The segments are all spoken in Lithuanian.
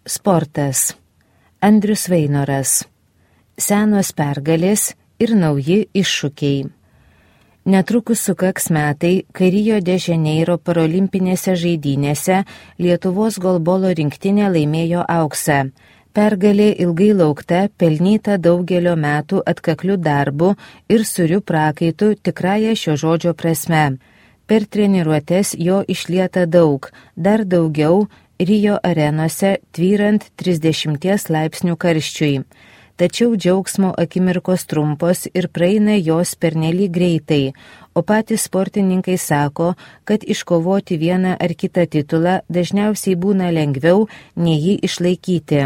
Sportas. Andrius Vainoras. Senos pergalės ir nauji iššūkiai. Netrukus sukaks metai, kai Rio de Žaneiro parolimpinėse žaidynėse Lietuvos golbolo rinktinė laimėjo auksą. Pergalė ilgai laukta, pelnyta daugelio metų atkaklių darbų ir surių prakaitų tikrąją šio žodžio prasme. Per treniruotes jo išlieta daug, dar daugiau Rio arenose tvyrant 30 laipsnių karščiui. Tačiau džiaugsmo akimirkos trumpos ir praeina jos pernelyg greitai, o patys sportininkai sako, kad iškovoti vieną ar kitą titulą dažniausiai būna lengviau nei jį išlaikyti.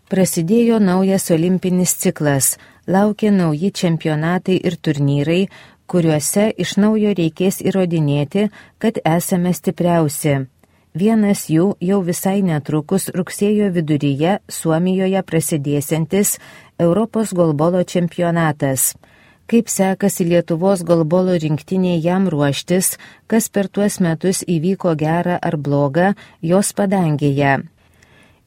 Prasidėjo naujas olimpinis ciklas, laukia nauji čempionatai ir turnyrai, kuriuose iš naujo reikės įrodinėti, kad esame stipriausi. Vienas jų jau visai netrukus rugsėjo viduryje Suomijoje prasidėsiantis Europos golbolo čempionatas. Kaip sekasi Lietuvos golbolo rinktinė jam ruoštis, kas per tuos metus įvyko gerą ar blogą jos padangėje.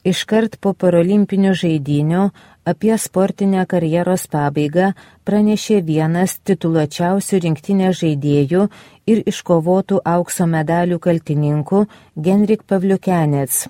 Iškart po parolimpinių žaidynių apie sportinę karjeros pabaigą pranešė vienas tituluočiausių rinktinės žaidėjų ir iškovotų aukso medalių kaltininkų Genrik Pavliukenets.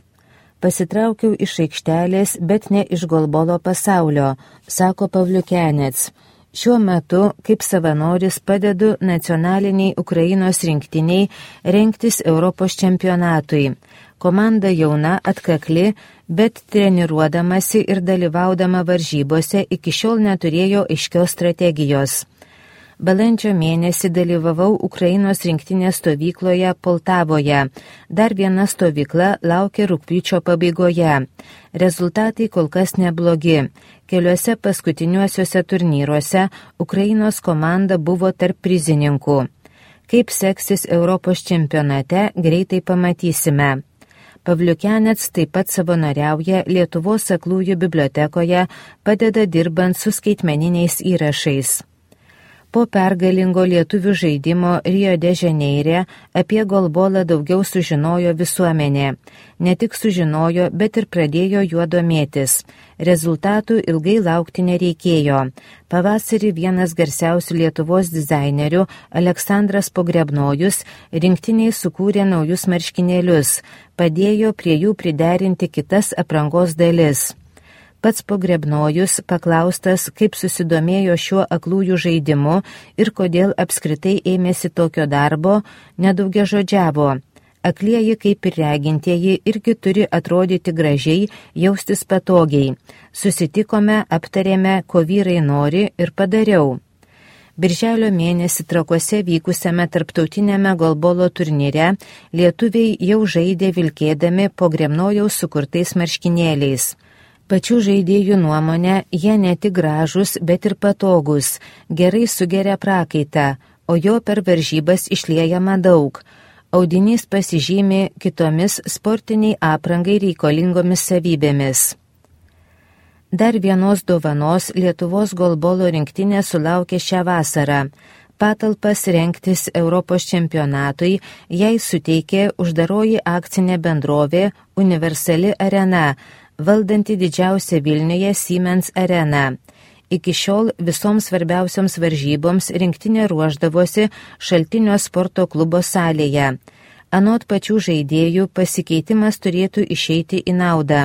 Pasitraukiau iš aikštelės, bet ne iš golbolo pasaulio, sako Pavliukenets. Šiuo metu, kaip savanoris, padedu nacionaliniai Ukrainos rinktiniai rengtis Europos čempionatui. Komanda jauna, atkakli, bet treniruodamasi ir dalyvaudama varžybose iki šiol neturėjo aiškios strategijos. Balandžio mėnesį dalyvavau Ukrainos rinktinės stovykloje Poltavoje. Dar viena stovykla laukia rugpjūčio pabaigoje. Rezultatai kol kas neblogi. Keliuose paskutiniuosiuose turnyruose Ukrainos komanda buvo tarp prizininkų. Kaip seksis Europos čempionate, greitai pamatysime. Pavliukenets taip pat savanoriauja Lietuvos aklųjų bibliotekoje, padeda dirbant su skaitmeniniais įrašais. Po pergalingo lietuvių žaidimo Rio de Žaneire apie golbolą daugiau sužinojo visuomenė. Ne tik sužinojo, bet ir pradėjo juo domėtis. Rezultatų ilgai laukti nereikėjo. Pavasarį vienas garsiausių Lietuvos dizainerių, Aleksandras Pogrebnojus, rinktiniai sukūrė naujus marškinėlius, padėjo prie jų priderinti kitas aprangos dalis. Pats Pogrebnojus paklaustas, kaip susidomėjo šiuo aklųjų žaidimu ir kodėl apskritai ėmėsi tokio darbo, nedaugiažodžiavo. Aklieji kaip ir regintieji irgi turi atrodyti gražiai, jaustis patogiai. Susitikome, aptarėme, ko vyrai nori ir padariau. Birželio mėnesį Trakuose vykusiame tarptautinėme golbolo turnyre lietuviai jau žaidė vilkėdami Pogrebnojaus sukurtais marškinėliais. Pačių žaidėjų nuomonė, jie ne tik gražus, bet ir patogus, gerai sugeria prakaitą, o jo per varžybas išliejama daug. Audinys pasižymi kitomis sportiniai aprangai reikalingomis savybėmis. Dar vienos dovanos Lietuvos golbolo rinktinė sulaukė šią vasarą. Patalpas rengtis Europos čempionatui jai suteikė uždaroji akcinė bendrovė Universali arena, valdanti didžiausią Vilniuje Siemens areną. Iki šiol visoms svarbiausioms varžyboms rinktinė ruošdavosi Šaltinio sporto klubo salėje. Anot pačių žaidėjų pasikeitimas turėtų išeiti į naudą.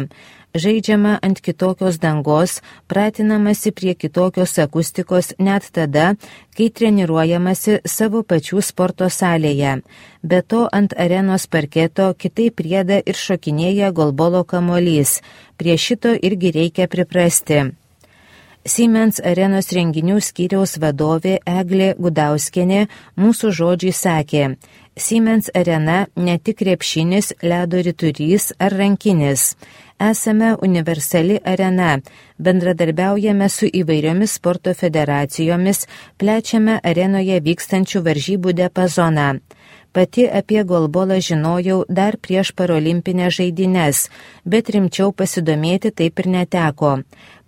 Žaidžiama ant kitokios dangos, pratinamasi prie kitokios akustikos net tada, kai treniruojamasi savo pačių sporto salėje. Be to ant arenos parketo kitaip rieda ir šokinėja golbolo kamuolys. Prie šito irgi reikia priprasti. Siemens arenos renginių skyriaus vadovė Eglė Gudauskienė mūsų žodžiai sakė: Siemens arena ne tik krepšinis, ledo ritulys ar rankinis. Esame universali arena, bendradarbiaujame su įvairiomis sporto federacijomis, plečiame arenoje vykstančių varžybų diapazoną. Pati apie golbolą žinojau dar prieš parolimpinės žaidynes, bet rimčiau pasidomėti taip ir neteko.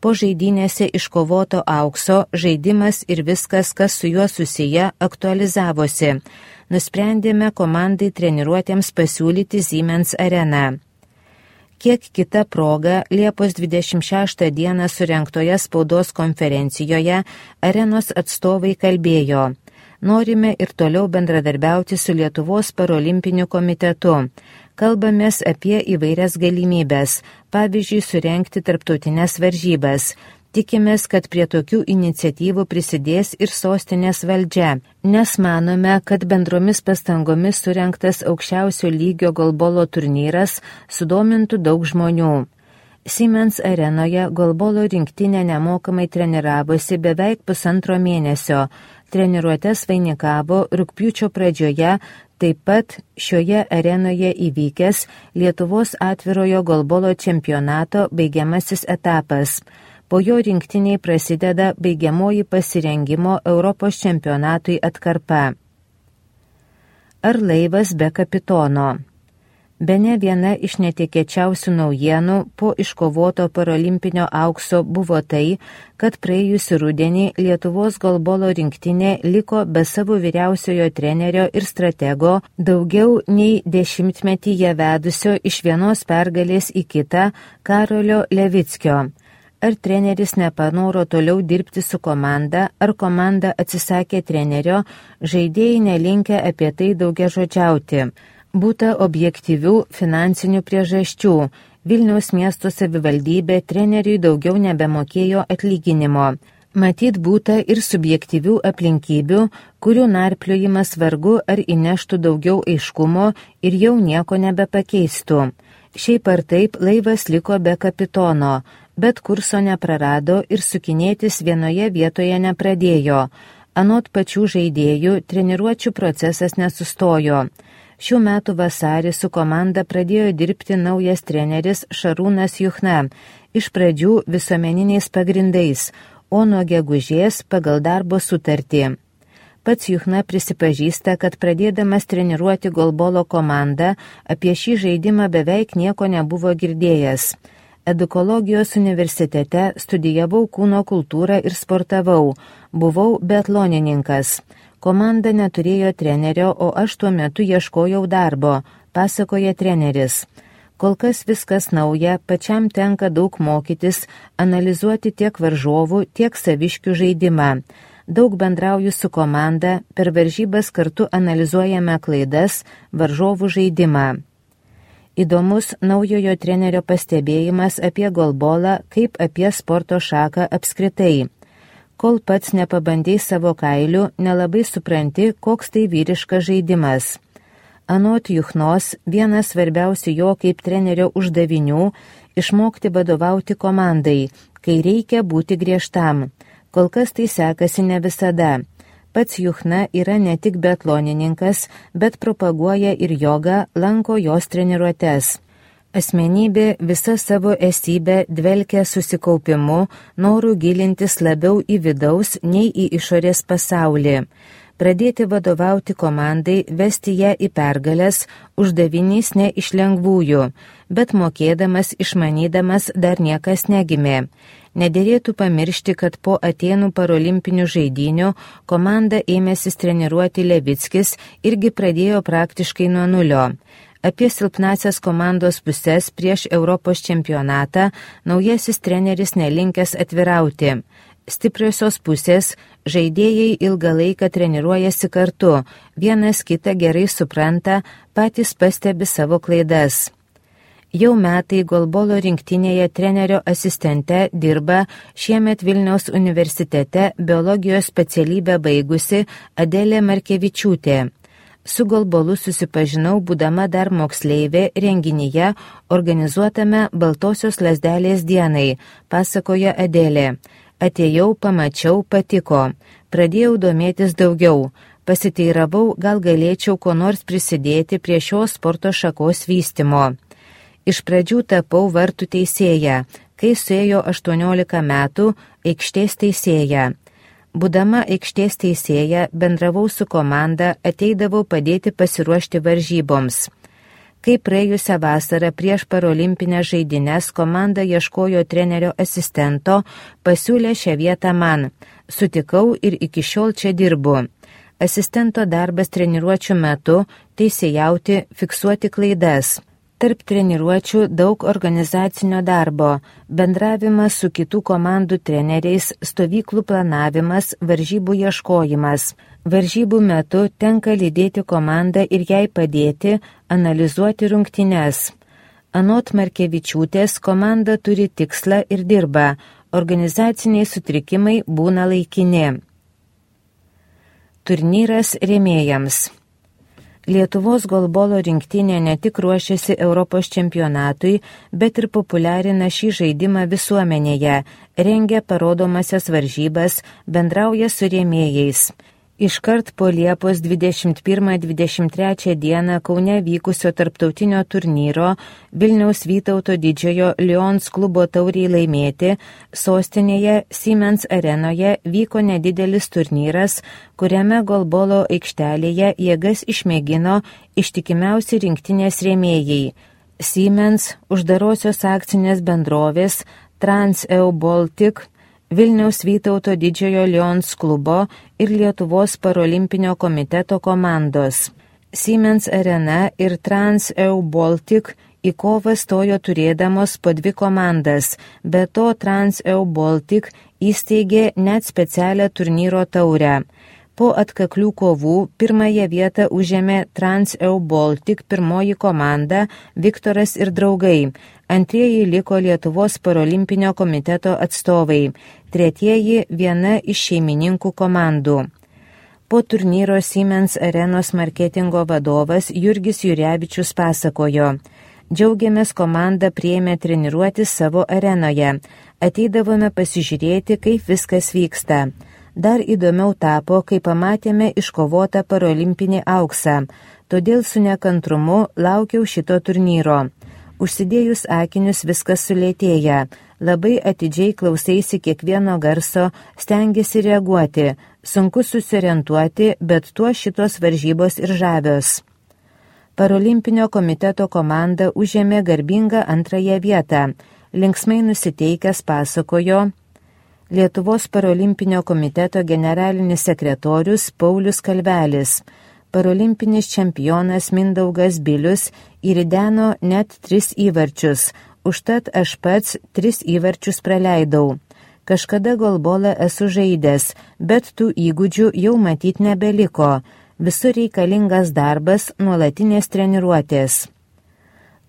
Po žaidynėse iškovoto aukso žaidimas ir viskas, kas su juo susiję, aktualizavosi. Nusprendėme komandai treniruotėms pasiūlyti Siemens areną. Kiek kita proga Liepos 26 dieną surengtoje spaudos konferencijoje Arenos atstovai kalbėjo: norime ir toliau bendradarbiauti su Lietuvos parolimpiniu komitetu. Kalbamės apie įvairias galimybės, pavyzdžiui, surengti tarptautinės varžybas. Tikimės, kad prie tokių iniciatyvų prisidės ir sostinės valdžia, nes manome, kad bendromis pastangomis surengtas aukščiausio lygio golbolo turnyras sudomintų daug žmonių. Siemens arenoje golbolo rinktinė nemokamai treniravosi beveik 1,5 mėnesio. Treniruotes vainikavo rugpjūčio pradžioje, taip pat šioje arenoje įvykęs Lietuvos atvirojo golbolo čempionato baigiamasis etapas. Po jo rinktiniai prasideda baigiamoji pasirengimo Europos čempionatui atkarpa. Ar laivas be kapitono? Bene viena iš netikėčiausių naujienų po iškovoto parolimpinio aukso buvo tai, kad praėjusį rudenį Lietuvos golbolo rinktinė liko be savo vyriausiojo trenerio ir stratego, daugiau nei 10-metyje vedusio iš vienos pergalės į kitą Karolio Levickio. Ar treneris nepanoro toliau dirbti su komanda, ar komanda atsisakė trenerio, žaidėjai nelinkę apie tai daugiažodžiauti. Būta objektyvių finansinių priežasčių. Vilniaus miesto savivaldybė treneriui daugiau nebemokėjo atlyginimo. Matyt, būta ir subjektyvių aplinkybių, kurių narpliojimas vargu ar įneštų daugiau aiškumo ir jau nieko nebepakeistų. Šiaip ar taip laivas liko be kapitono, bet kurso neprarado ir sukinėtis vienoje vietoje nepradėjo. Anot pačių žaidėjų, treniruočių procesas nesustojo. Šių metų vasarį su komanda pradėjo dirbti naujas treneris Šarūnas Juchna, iš pradžių visuomeniniais pagrindais, o nuo gegužės pagal darbo sutartį. Pats Juchna prisipažįsta, kad pradėdamas treniruoti golbolo komandą, apie šį žaidimą beveik nieko nebuvo girdėjęs. Edukologijos universitete studijavau kūno kultūrą ir sportavau, buvau biatlonininkas. Komanda neturėjo trenerio, o aš tuo metu ieškojau darbo, pasakoja treneris. Kol kas viskas nauja, pačiam tenka daug mokytis, analizuoti tiek varžovų, tiek saviškių žaidimą. Daug bendrauju su komanda, per varžybas kartu analizuojame klaidas, varžovų žaidimą. Įdomus naujojo trenerio pastebėjimas apie golbolą kaip apie sporto šaką apskritai. Kol pats nepabandei savo kailių, nelabai supranti, koks tai vyriškas žaidimas. Anot Juchnos, vienas svarbiausių jo kaip trenerio uždavinių – išmokti vadovauti komandai, kai reikia būti griežtam. Kol kas tai sekasi ne visada. Pats Juchna yra ne tik biatlonininkas, bet propaguoja ir jogą, lanko jos treniruotes. Asmenybė visa savo esybę dvelkia susikaupimu, noru gilintis labiau į vidaus nei į išorės pasaulį. Pradėti vadovauti komandai, vesti ją į pergales, uždavinys ne iš lengvųjų, bet mokėdamas, išmanydamas dar niekas negimė. Nederėtų pamiršti, kad po Atėnų parolimpinių žaidynių komanda ėmėsis treniruoti Levickis irgi pradėjo praktiškai nuo nulio. Apie silpnasias komandos pusės prieš Europos čempionatą naujasis treneris nelinkęs atvirauti. Stipriosios pusės žaidėjai ilgą laiką treniruojasi kartu, vienas kitą gerai supranta, patys pastebi savo klaidas. Jau metai golbolo rinktinėje trenerio asistente dirba šiemet Vilniaus universitete biologijos specialybę baigusi Adelė Markevičiūtė. Su golbolu susipažinau būdama dar moksleivė renginyje organizuotame Baltosios lazdelės dienai, pasakoja Adelė. Atėjau, pamačiau, patiko. Pradėjau domėtis daugiau. Pasiteiravau, gal galėčiau ko nors prisidėti prie šios sporto šakos vystymo. Iš pradžių tapau vartų teisėja, kai suėjo 18 metų aikštės teisėja. Būdama aikštės teisėja, bendravau su komanda, ateidavau padėti pasiruošti varžyboms. Kai praėjusią vasarą prieš parolimpinės žaidynes komanda ieškojo trenerio asistento, pasiūlė šią vietą man. Sutikau ir iki šiol čia dirbu. Asistento darbas treniruočių metu teisėjauti, fiksuoti klaidas. Tarp treniruočių daug organizacinio darbo, bendravimas su kitų komandų treneriais, stovyklų planavimas, varžybų ieškojimas. Varžybų metu tenka lydėti komandą ir jai padėti, analizuoti rungtynes. Anot Markevičiūtės, komanda turi tikslą ir dirba, organizaciniai sutrikimai būna laikini. Turnyras rėmėjams. Lietuvos golbolo rinktinė ne tik ruošiasi Europos čempionatui, bet ir populiarina šį žaidimą visuomenėje, rengia parodomasias varžybas, bendrauja su rėmėjais. Iškart po Liepos 21-23 dieną Kaune vykusio tarptautinio turnyro Vilniaus Vytauto Didžiojo Lions klubo tauriai laimėti, sostinėje Siemens arenoje vyko nedidelis turnyras, kuriame golbolo aikštelėje jėgas išmėgino ištikimiausi rinktinės rėmėjai. Siemens, uždarosios akcinės bendrovės, Trans-EU Baltic, Vilniaus Vytauto Didžiojo Lions klubo ir Lietuvos parolimpinio komiteto komandos. Siemens arena ir Trans-EU Baltic į kovą stojo turėdamos po 2 komandas, be to Trans-EU Baltic įsteigė net specialią turnyro taurę. Po atkaklių kovų pirmąją vietą užėmė Trans-EU Baltic pirmoji komanda Viktoras ir draugai. Antrieji liko Lietuvos parolimpinio komiteto atstovai, tretieji viena iš šeimininkų komandų. Po turnyro Siemens arenos marketingo vadovas Jurgis Jurevičius pasakojo: Džiaugiamės, komanda priėmė treniruoti savo arenoje, ateidavome pasižiūrėti, kaip viskas vyksta. Dar įdomiau tapo, kai pamatėme iškovotą parolimpinį auksą, todėl su nekantrumu laukiau šito turnyro. Užsidėjus akinius viskas sulėtėja, labai atidžiai klausaisi kiekvieno garso, stengiasi reaguoti, sunku susiorientuoti, bet tuo šitos varžybos ir žavios. Parolimpinio komiteto komanda užėmė garbingą 2 vietą, linksmai nusiteikęs pasakojo Lietuvos parolimpinio komiteto generalinis sekretorius Paulius Kalvelis. Parolimpinis čempionas Mindaugas Bilius įrideno net 3 įvarčius, užtat aš pats 3 įvarčius praleidau. Kažkada golbolą esu žaidęs, bet tų įgūdžių jau matyt nebeliko. Visur reikalingas darbas, nuolatinės treniruotės.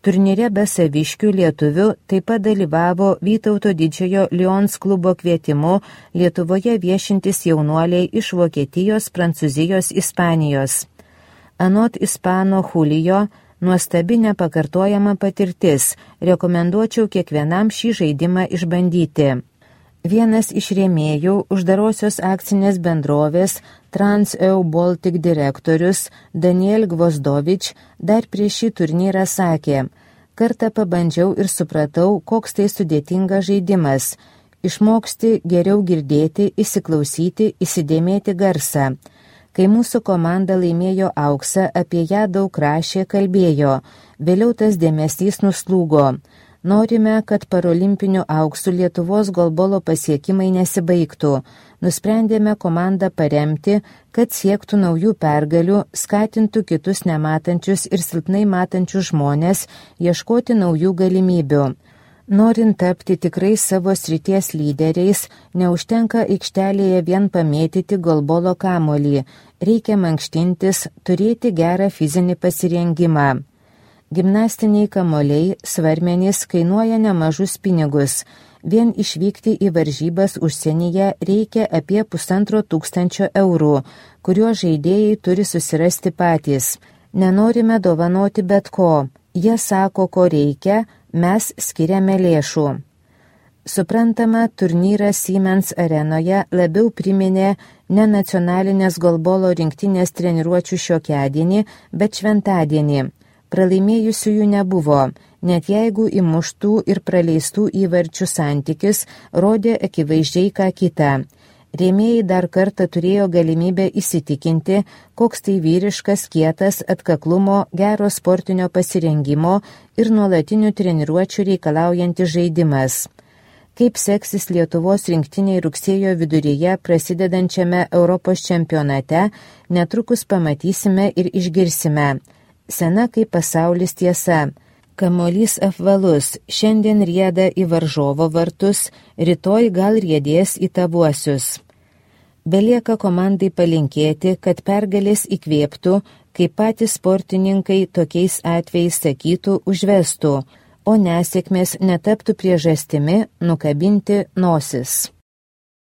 Turnyre be saviškių lietuvių taip pat dalyvavo Vytauto Didžiojo Lions klubo kvietimu Lietuvoje viešintis jaunuoliai iš Vokietijos, Prancūzijos, Ispanijos. Anot ispano Julio, nuostabi nepakartojama patirtis, rekomenduočiau kiekvienam šį žaidimą išbandyti. Vienas iš rėmėjų, uždarosios akcinės bendrovės Trans-EU Baltic direktorius Daniel Gvozdovič dar prieš šį turnyrą sakė: Kartą pabandžiau ir supratau, koks tai sudėtingas žaidimas. Išmoksti geriau girdėti, įsiklausyti, įsidėmėti garsą. Kai mūsų komanda laimėjo auksą, apie ją daug rašė, kalbėjo. Vėliau tas dėmesys nuslūgo. Norime, kad parolimpinių auksų Lietuvos golbolo pasiekimai nesibaigtų. Nusprendėme komandą paremti, kad siektų naujų pergalių, skatintų kitus nematančius ir silpnai matančius žmonės ieškoti naujų galimybių. Norint tapti tikrai savo srities lyderiais, neužtenka aikštelėje vien pamėtyti golbolo kamuolį, reikia mankštintis, turėti gerą fizinį pasirengimą. Gimnastiniai kamuoliai, svarmenys kainuoja nemažus pinigus. Vien išvykti į varžybas užsienyje reikia apie 1500 eurų, kuriuos žaidėjai turi susirasti patys. Nenorime dovanoti bet ko. Jie sako, ko reikia, mes skiriame lėšų. Suprantama, turnyras Siemens arenoje labiau priminė ne nacionalinės golbolo rinktinės treniruočių šiokiadienį, bet šventadienį. Pralaimėjusiųjų nebuvo, net jeigu įmuštų ir praleistų įvarčių santykis rodė akivaizdžiai ką kitą. Rėmėjai dar kartą turėjo galimybę įsitikinti, koks tai vyriškas, kietas, atkaklumo, gero sportinio pasirengimo ir nuolatinių treniruočių reikalaujantis žaidimas. Kaip seksis Lietuvos rinktiniai rugsėjo viduryje prasidedančiame Europos čempionate, netrukus pamatysime ir išgirsime. Sena kaip pasaulis tiesa. Kamuolys apvalus, šiandien rieda į varžovo vartus, rytoj gal riedės į tavuosius. Belieka komandai palinkėti, kad pergalės įkvėptų, kaip patys sportininkai tokiais atvejais sakytų, užvestų, o nesėkmės netaptų priežastimi nukabinti nosis.